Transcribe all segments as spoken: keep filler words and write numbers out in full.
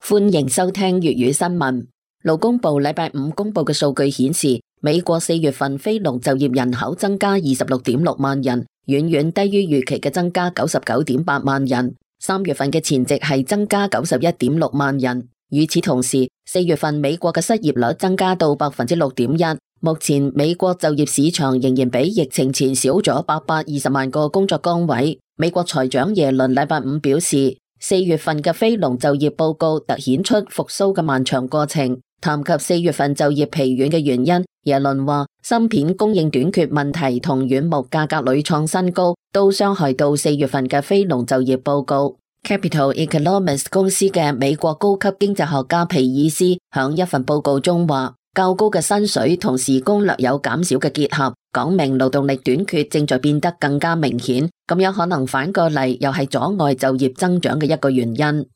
歡迎收聽粵語新聞。勞工部禮拜五公布嘅數據顯示，美國四月份非農就業人口增加二十六點六萬人，遠遠低於預期嘅增加九十九點八萬人。三月份嘅前值係增加九十一點六萬人。與此同時，四月份美國嘅失業率增加到百分之六點一。目前美國就業市場仍然比疫情前少咗八百二十萬個工作崗位。美國財長耶倫禮拜五表示，四月份嘅非農就業報告凸顯出復甦嘅漫長過程。談及四月份就業疲軟嘅原因，耶倫話芯片供應短缺問題同軟木價格屢創新高，都傷害到四月份嘅非農就業報告。Capital Economics 公司嘅美國高級經濟學家皮爾斯響一份報告中話，較高嘅薪水同時工略有減少嘅結合，講明勞動力短缺正在變得更加明顯，咁樣可能反過嚟又係阻礙就業增長嘅一個原因。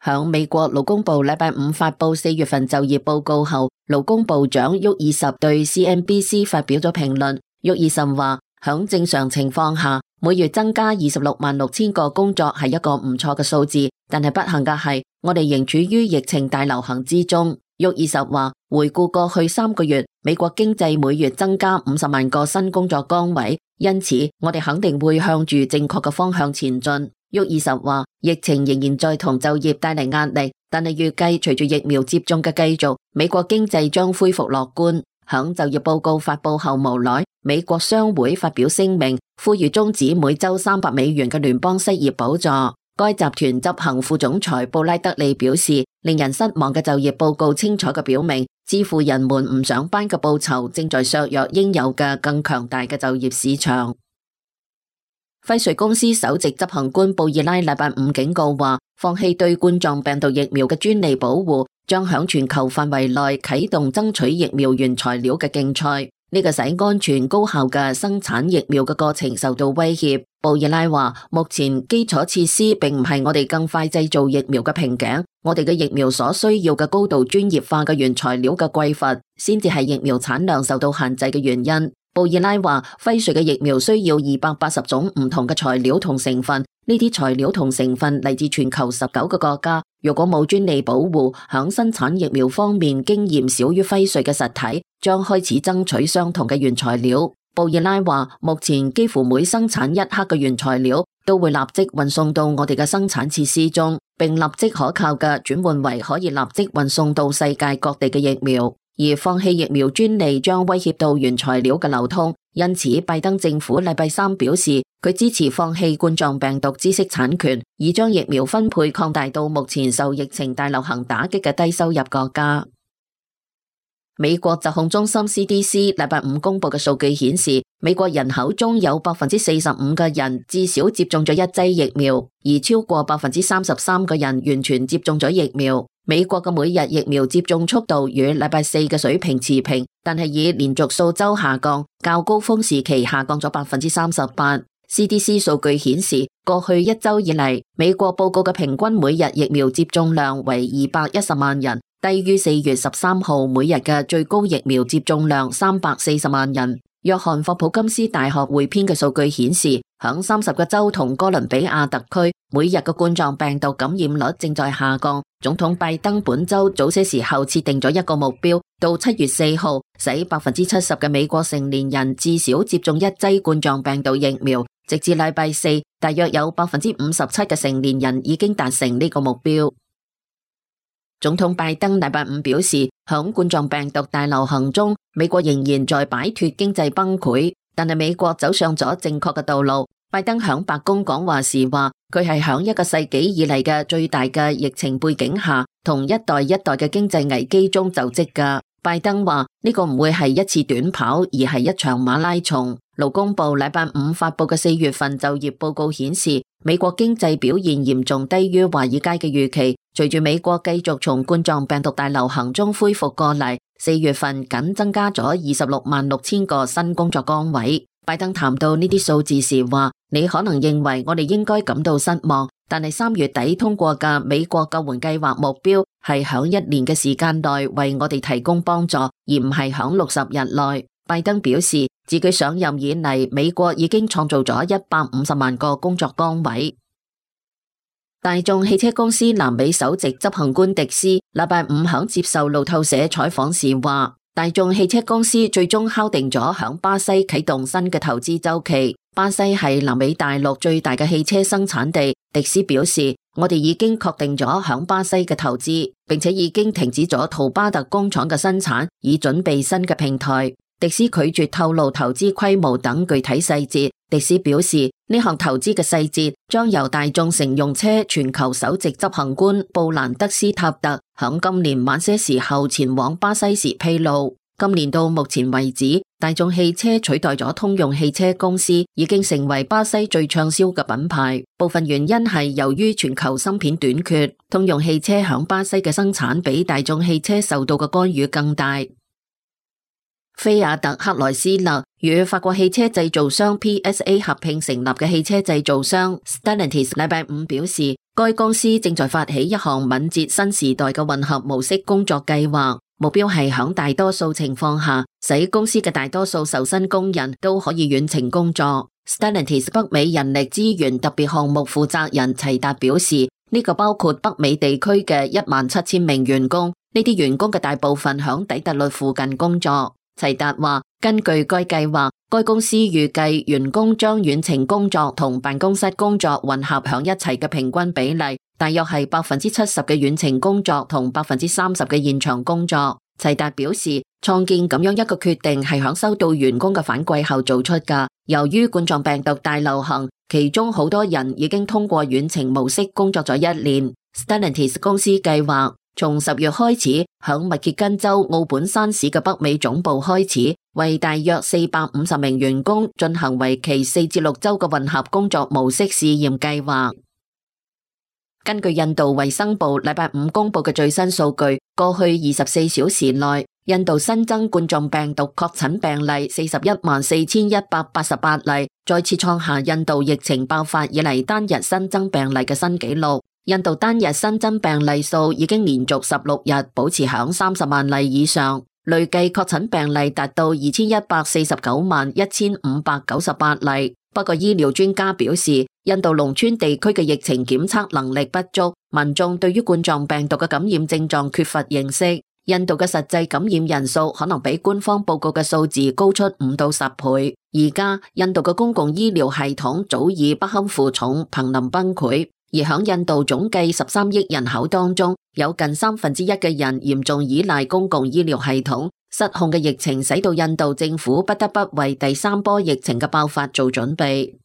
響美國勞工部禮拜五發布四月份就業報告後，勞工部長沃爾什對 C N B C 發表咗評論。沃爾什話，響正常情況下，每月增加二十六萬六千個工作係一個唔錯嘅數字，但係不幸嘅係，我哋仍處於疫情大流行之中。沃爾什話，回顧過去三個月，美國經濟每月增加五十萬個新工作崗位，因此我哋肯定會向住正確嘅方向前進。沃爾什話，疫情仍然在同就業帶嚟壓力，但係預計隨住疫苗接種嘅繼續，美國經濟將恢復樂觀。響就業報告發布後無奈，美國商會發表聲明，呼籲終止每周三百美元嘅聯邦失業補助。該集團執行副總裁布拉德利表示，令人失望嘅就業報告清楚嘅表明，支付人們唔上班嘅報酬正在削弱應有嘅更強大嘅就業市場。輝瑞公司首席執行官布爾拉禮拜五警告話，放棄對冠狀病毒疫苗嘅專利保護，將響全球範圍內啟動爭取疫苗原材料嘅競賽。呢個使安全高效嘅生產疫苗嘅過程受到威脅。布爾拉話，目前基礎設施並唔係我哋更快製造疫苗嘅瓶頸，我哋嘅疫苗所需要嘅高度專業化嘅原材料嘅匱乏，先至係疫苗產量受到限制嘅原因。布爾拉話，輝瑞嘅疫苗需要二百八十種唔同嘅材料同成分，呢啲材料同成分嚟自全球十九個國家。如果冇專利保護，響生產疫苗方面經驗少於輝瑞嘅實體，將開始爭取相同嘅原材料。布爾拉話，目前幾乎每生產一克嘅原材料都會立即運送到我哋嘅生產設施中，並立即可靠嘅轉換為可以立即運送到世界各地嘅疫苗。而放棄疫苗專利將威脅到原材料嘅流通，因此拜登政府禮拜三表示，佢支持放棄冠狀病毒知識產權，以將疫苗分配擴大到目前受疫情大流行打擊嘅低收入國家。美國疾控中心 C D C 禮拜五公布嘅數據顯示，美國人口中有百分之四十五嘅人至少接種咗一劑疫苗，而超過百分之三十三嘅人完全接種咗疫苗。美國嘅每日疫苗接種速度與禮拜四嘅水平持平，但係以連續數週下降，較高峰時期下降咗百分之三十八。C D C 數據顯示，過去一週以嚟，美國報告嘅平均每日疫苗接種量為二百一十萬人，低於四月十三號每日嘅最高疫苗接種量三百四十萬人。約翰霍普金斯大學匯編嘅數據顯示，響三十個州同哥倫比亞特區，每日嘅冠狀病毒感染率正在下降。總統拜登本周早些時候設定咗一個目標，到七月四號，使百分之七十嘅美國成年人至少接種一劑冠狀病毒疫苗。直至禮拜四，大約有百分之五十七嘅成年人已經達成呢個目標。總統拜登禮拜五表示，響冠狀病毒大流行中，美國仍然在擺脫經濟崩潰，但係美國走上咗正確嘅道路。拜登響白宮講話時話，佢係響一個世紀以嚟嘅最大嘅疫情背景下，同一代一代嘅經濟危機中就職㗎。拜登話呢個唔會係一次短跑，而係一場馬拉松。勞工部禮拜五發佈嘅四月份就業報告顯示，美國經濟表現嚴重低於華爾街嘅預期。隨住美國繼續從冠狀病毒大流行中恢復過嚟，四月份僅增加咗二十六萬六千個新工作崗位。拜登談到呢啲數字時話，你可能認為我哋應該感到失望，但係三月底通過嘅美國救援計劃目標係響一年嘅時間內為我哋提供幫助，而唔係響六十日內。拜登表示，自己上任以嚟，美國已經創造咗一百五十萬個工作崗位。大眾汽車公司南美首席執行官迪斯禮拜五響接受路透社採訪時話，大眾汽車公司最終敲定咗響巴西啟動新嘅投資週期。巴西係南美大陸最大嘅汽車生產地。迪斯表示，我哋已經確定咗響巴西嘅投資，並且已經停止咗圖巴特工廠嘅生產，以準備新嘅平台。迪斯拒絕透露投資規模等具體細節。迪斯表示，呢項投資嘅細節將由大眾乘用車全球首席執行官布蘭德斯塔特響今年晚些時候前往巴西時披露。今年到目前為止，大眾汽車取代咗通用汽車公司，已經成為巴西最暢銷嘅品牌。部分原因係由於全球芯片短缺，通用汽車響巴西嘅生產比大眾汽車受到嘅干預更大。菲亞特克萊斯勒與法國汽車製造商 P S A 合併成立嘅汽車製造商 Stellantis 禮拜五表示，該公司正在發起一項敏捷新時代嘅混合模式工作計劃，目標係響大多數情況下，使公司嘅大多數受薪工人都可以遠程工作。Stellantis 北美人力資源特別項目負責人齊達表示，呢個包括北美地區嘅一萬七千名員工，呢啲員工嘅大部分響底特律附近工作。齊達話，根據該計劃，該公司預計員工將遠程工作同辦公室工作混合響一齊嘅平均比例，大約係百分之七十嘅遠程工作同百分之三十嘅現場工作。齊達表示，創建咁樣一個決定係響收到員工嘅反饋後做出㗎。由於冠狀病毒大流行，其中好多人已經通過遠程模式工作咗一年。Stellantis 公司計劃從十月開始，響密歇根州奧本山市嘅北美總部開始，為大約四百五十名員工進行為期四至六周嘅混合工作模式試驗計劃。根據印度衛生部禮拜五公布嘅最新數據，過去二十四小時內，印度新增冠狀病毒確診病例四十一萬四千一百八十八例，再次創下印度疫情爆發以嚟單日新增病例嘅新紀錄。印度單日新增病例數已經連續十六日保持響三十萬例以上，累計確診病例達到二千一百四十九萬一千五百九十八例。不過醫療專家表示，印度農村地區嘅疫情檢測能力不足，民眾對於冠狀病毒嘅感染症狀缺乏認識。印度嘅實際感染人數可能比官方報告嘅數字高出五到十倍。而家印度嘅公共醫療系統早已不堪負重，瀕臨崩潰。而響印度總計十三億人口當中，有近三分之一嘅人嚴重依賴公共醫療系統。失控嘅疫情使到印度政府不得不為第三波疫情嘅爆發做準備。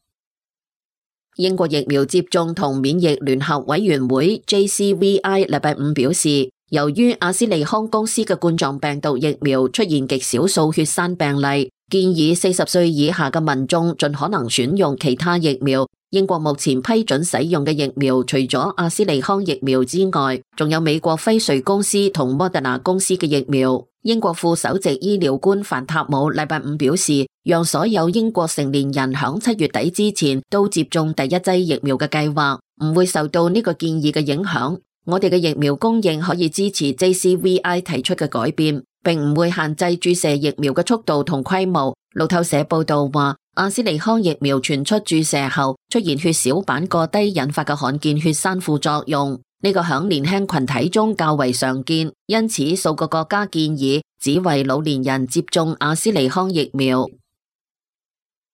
英國疫苗接種同免疫聯合委員會 J C V I 禮拜五表示，由於阿斯利康公司嘅冠狀病毒疫苗出現極少數血栓病例，建議四十歲以下嘅民眾盡可能選用其他疫苗。英國目前批准使用嘅疫苗，除咗阿斯利康疫苗之外，仲有美國輝瑞公司同莫德納公司嘅疫苗。英國副首席醫療官范塔姆禮拜五表示，讓所有英國成年人響七月底之前都接種第一劑疫苗嘅計劃，唔會受到呢個建議嘅影響。我哋嘅疫苗供應可以支持 J C V I 提出嘅改變，並唔會限制注射疫苗嘅速度同規模。路透社報道話，阿斯利康疫苗傳出注射後出現血小板過低引發嘅罕見血栓副作用，呢個響年輕群體中較為常見，因此數個國家建議只為老年人接種阿斯利康疫苗。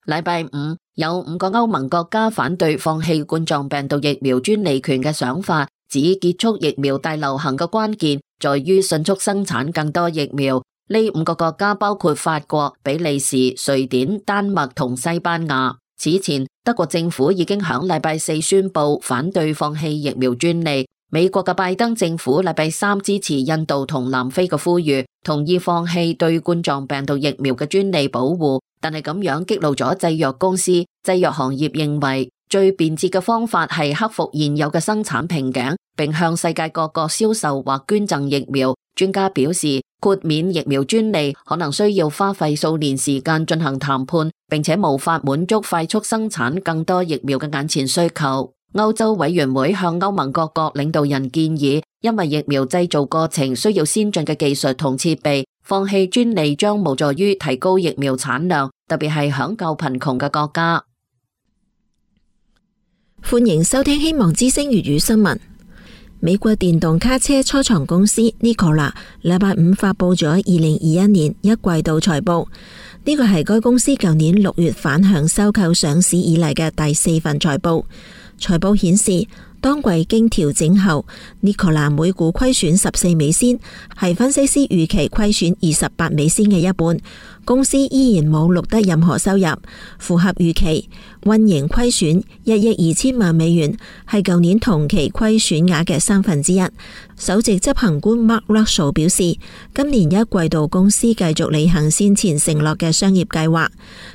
禮拜五有五個歐盟國家反對放棄冠狀病毒疫苗專利權嘅想法，指結束疫苗大流行嘅關鍵在於迅速生產更多疫苗。呢五個國家包括法國、比利時、瑞典、丹麥同西班牙。此前，德國政府已經響禮拜四宣布反對放棄疫苗專利。美國嘅拜登政府禮拜三支持印度同南非嘅呼籲，同意放棄對冠狀病毒疫苗嘅專利保護，但係咁樣激怒咗製藥公司。製藥行業認為最便捷嘅方法係克服現有嘅生產瓶頸，並向世界各國銷售或捐贈疫苗。專家表示，豁免疫苗專利可能需要花費數年時間進行談判，並且無法滿足快速生產更多疫苗嘅眼前需求。歐洲委員會向歐盟各國領導人建議，因為疫苗製造過程需要先進嘅技術同設備，放棄專利將無助於提高疫苗產量，特別係響較貧窮嘅國家。歡迎收聽希望之聲粵語新聞。美國電動卡車初創公司 Nikola 禮拜五發佈咗二零二一年一季度財報，呢個係該公司舊年六月反向收購上市以嚟嘅第四份財報。財報顯示，當季經調整後 Nikola 每股虧損十四美仙，係分析師預期虧損二十八美仙嘅一半。公司依然冇錄得任何收入，符合預期。運營虧損一億二千萬美元，係舊年同期虧損額嘅三分之一。首席執行官 Mark Russell 表示，今年一季度公司繼續履行先前承諾嘅商業計劃，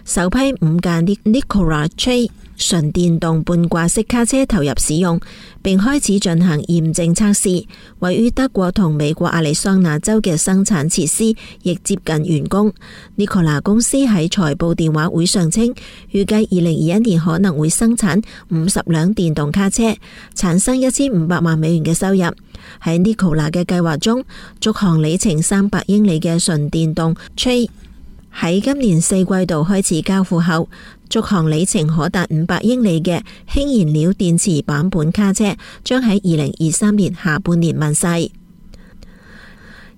首批五架 Nikola Tre 純電動半掛式卡車投入使用，並開始進行驗證測試。位於德國同美國亞利桑那州嘅生產設施亦接近完工。Nikola 公司喺財報電話會上稱，預計二零二一年可能會生產五十輛電動卡車，產生一千五百萬美元嘅收入。喺 Nikola 嘅計劃中，續航里程三百英里嘅純電動 Tre 喺今年四季度開始交付後，續航里程可達五百英里嘅氫燃料電池版本卡車將喺二零二三年下半年問世。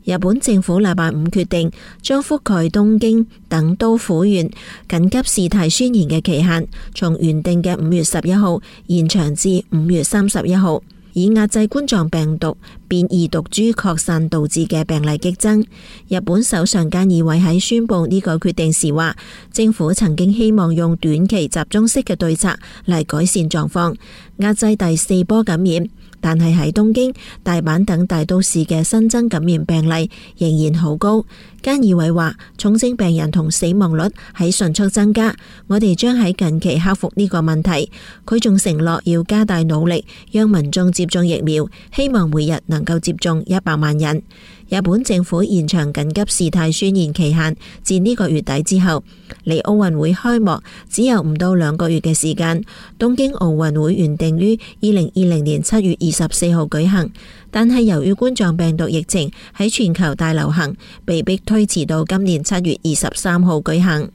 日本政府禮拜五決定將覆蓋東京等都府縣緊急事態宣言嘅期限從原定嘅五月十一號延長至五月三十一號，以壓制冠狀病毒變異毒株擴散導致嘅病例激增。日本首相菅義偉喺宣布呢個決定時話，政府曾經希望用短期集中式嘅對策嚟改善狀況，壓制第四波感染。但係喺東京、大阪等大都市嘅新增感染病例仍然好高。菅義偉話，重症病人同死亡率喺迅速增加，我哋將喺近期克服呢個問題。佢仲承諾要加大努力，讓民眾接種疫苗，希望每日能夠接種一百萬人。日本政府延長緊急事態宣言期限至呢個月底之後，離奧運會開幕只有唔到兩個月嘅時間。東京奧運會原定於二零二零年七月二十四號舉行，但係由於冠狀病毒疫情喺全球大流行，被迫推遲到今年七月二十三號舉行。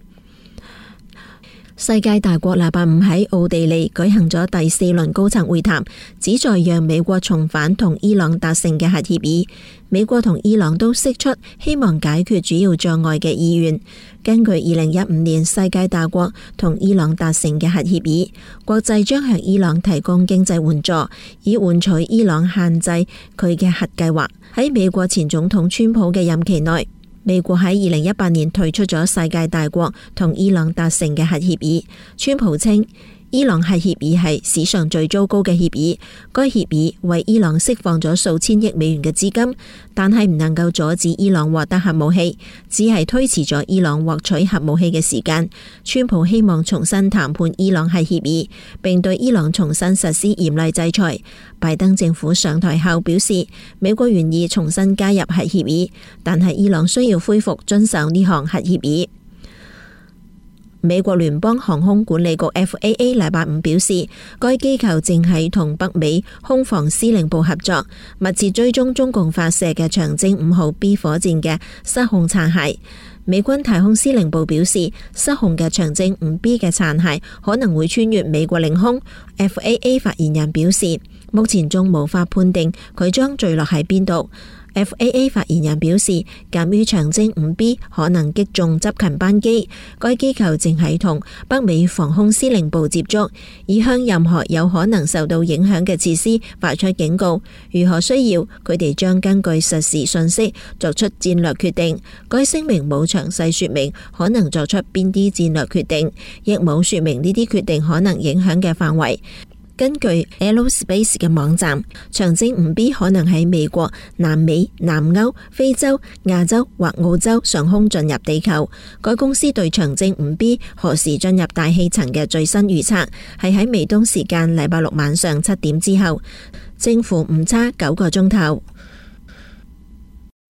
世界大國禮拜五喺奧地利舉行咗第四輪高層會談，旨在讓美國重返同伊朗達成嘅核協議。美國同伊朗都釋出希望解決主要障礙嘅意願。根據二零一五年世界大國同伊朗達成嘅核協議，國際將向伊朗提供經濟援助，以換取伊朗限制佢嘅核計劃。喺美國前總統川普嘅任期內，美國喺二零一八年退出咗世界大國同伊朗達成嘅核協議。川普稱，伊朗核協議係史上最糟糕嘅協議，該協議為伊朗釋放咗數千億美元嘅資金，但係唔能夠阻止伊朗獲得核武器，只係推遲咗伊朗獲取核武器嘅時間。川普希望重新談判伊朗核協議，並對伊朗重新實施嚴厲制裁。拜登政府上台後表示，美國願意重新加入核協議，但係伊朗需要恢復遵守呢項核協議。美國聯邦航空管理局 F A A 禮拜五表示，該機構正係同北美空防司令部合作，密切追蹤中共發射嘅長征五號 B 火箭嘅失控殘骸。美軍太空司令部表示，失控嘅長征五 B 嘅殘骸可能會穿越美國領空。F A A 發言人表示，目前仲無法判定佢將墜落喺邊度。F A A 發言人表示，鑒於長征五 B 可能擊中執勤班機，該機構正係同北美防空司令部接觸，以向任何有可能受到影響嘅設施發出警告。如何需要，佢哋將根據實時信息作出戰略決定。該聲明冇詳細說明可能作出邊啲戰略決定，亦冇說明呢啲決定可能影響嘅範圍。根據 Aerospace 嘅網站，長征五 B 可能喺美國、南美、南歐、非洲、亞洲或澳洲上空進入地球。該公司對長征五 B 何時進入大氣層嘅最新預測係喺美東時間禮拜六晚上七點之後，正負誤差九個鐘頭。